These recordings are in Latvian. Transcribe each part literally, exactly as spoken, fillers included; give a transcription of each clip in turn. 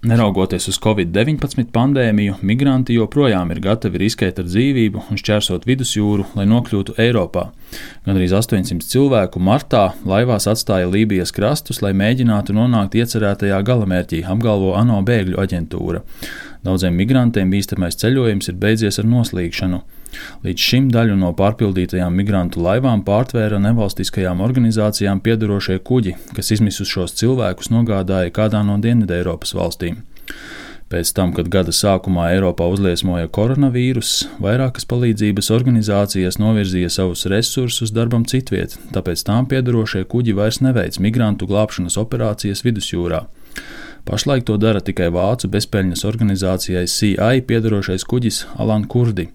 Neraugoties uz covid deviņpadsmit pandēmiju, migranti joprojām ir gatavi riskēt ar dzīvību un šķērsot vidusjūru, lai nokļūtu Eiropā. Gandrīz astoņsimt cilvēku martā laivās atstāja Lībijas krastus, lai mēģinātu nonākt iecerētajā galamērķī, apgalvo ANO bēgļu aģentūra. Daudziem migrantiem bīstamais ceļojums ir beidzies ar noslīgšanu. Līdz šim daļu no pārpildītajām migrantu laivām pārtvēra nevalstiskajām organizācijām piederošie kuģi, kas izmisušos cilvēkus nogādāja kādā no Dienvideiropas valstīm. Pēc tam, kad gada sākumā Eiropā uzliesmoja koronavīruss, vairākas palīdzības organizācijas novirzīja savus resursus darbam citviet, tāpēc tām piederošie kuģi vairs neveic migrantu glābšanas operācijas vidusjūrā. Pašlaik to dara tikai vācu bezpeļņas organizācijai C I piederošais kuģis Alan Kurdi.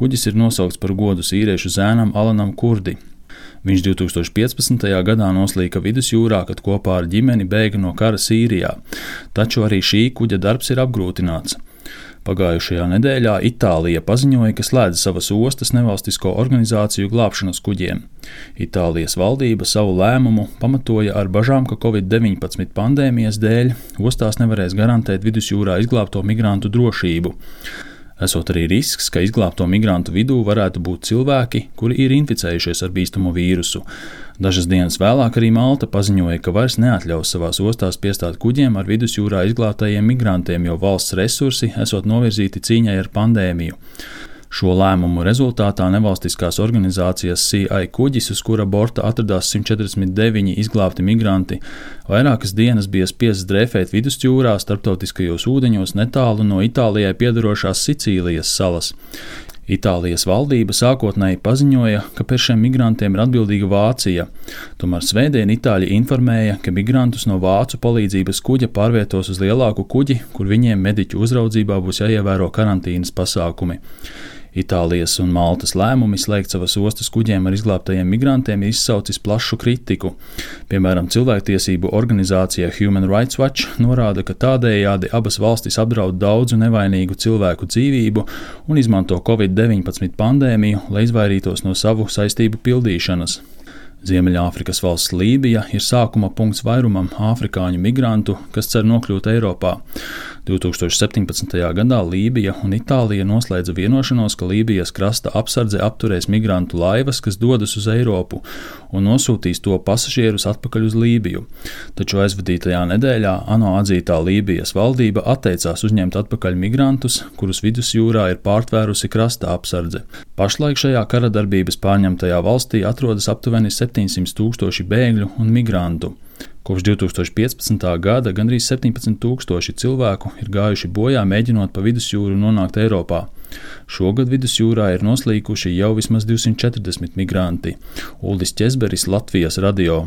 Kuģis ir nosaukts par godu sīriešu zēnam Alanam Kurdi. Viņš divi tūkstoši piecpadsmitajā gadā noslīka vidusjūrā, kad kopā ar ģimeni bēga no kara Sīrijā, taču arī šī kuģa darbs ir apgrūtināts. Pagājušajā nedēļā Itālija paziņoja, ka slēdz savas ostas nevalstisko organizāciju glābšanas kuģiem. Itālijas valdība savu lēmumu pamatoja ar bažām, ka covid deviņpadsmit pandēmijas dēļ ostās nevarēs garantēt vidusjūrā izglābto migrantu drošību. Esot arī risks, ka izglābto migrantu vidū varētu būt cilvēki, kuri ir inficējušies ar bīstamo vīrusu. Dažas dienas vēlāk arī Malta paziņoja, ka vairs neatļaus savās ostās piestāt kuģiem ar vidusjūrā izglābtajiem migrantiem, jo valsts resursi esot novirzīti cīņai ar pandēmiju. Šo lēmumu rezultātā nevalstiskās organizācijas C I kuģis, uz kura borta atradās simt četrdesmit deviņi izglābti migranti, vairākas dienas bija spiests drēfēt vidusjūrā starptautiskajos ūdeņos netālu no Itālijai piederošās Sicīlijas salas. Itālijas valdība sākotnēji paziņoja, ka par šiem migrantiem ir atbildīga Vācija. Tomēr svētdien Itāļi informēja, ka migrantus no vācu palīdzības kuģa pārvietos uz lielāku kuģi, kur viņiem mediķu uzraudzībā būs jāievēro karantīnas pasākumi. Itālijas un Maltas lēmumi slēgt savas ostas kuģiem ar izglābtajiem migrantiem ir izsaucis plašu kritiku. Piemēram, cilvēktiesību organizācija Human Rights Watch norāda, ka tādējādi abas valstis apdraud daudzu nevainīgu cilvēku dzīvību un izmanto covid deviņpadsmit pandēmiju, lai izvairītos no savu saistību pildīšanas. Ziemeļāfrikas valsts Lībija ir sākuma punkts vairumam āfrikāņu migrantu, kas cer nokļūt Eiropā. divi tūkstoši septiņpadsmitajā gadā Lībija un Itālija noslēdza vienošanos, ka Lībijas krasta apsardze apturēs migrantu laivas, kas dodas uz Eiropu, un nosūtīs to pasažierus atpakaļ uz Lībiju. Taču aizvadītajā nedēļā ANO atzītā Lībijas valdība atteicās uzņemt atpakaļ migrantus, kurus vidusjūrā ir pārtvērusi krasta apsardze. Pašlaik šajā karadarbības pārņemtajā valstī atrodas aptuveni septiņsimt tūkstoši bēgļu un migrantu. Kopš divi tūkstoši piecpadsmitā gada gandrīz septiņpadsmit tūkstoši cilvēku ir gājuši bojā mēģinot pa vidusjūru nonākt Eiropā. Šogad vidusjūrā ir noslīkuši jau vismaz divsimt četrdesmit migranti. Uldis Ķezberis, Latvijas radio.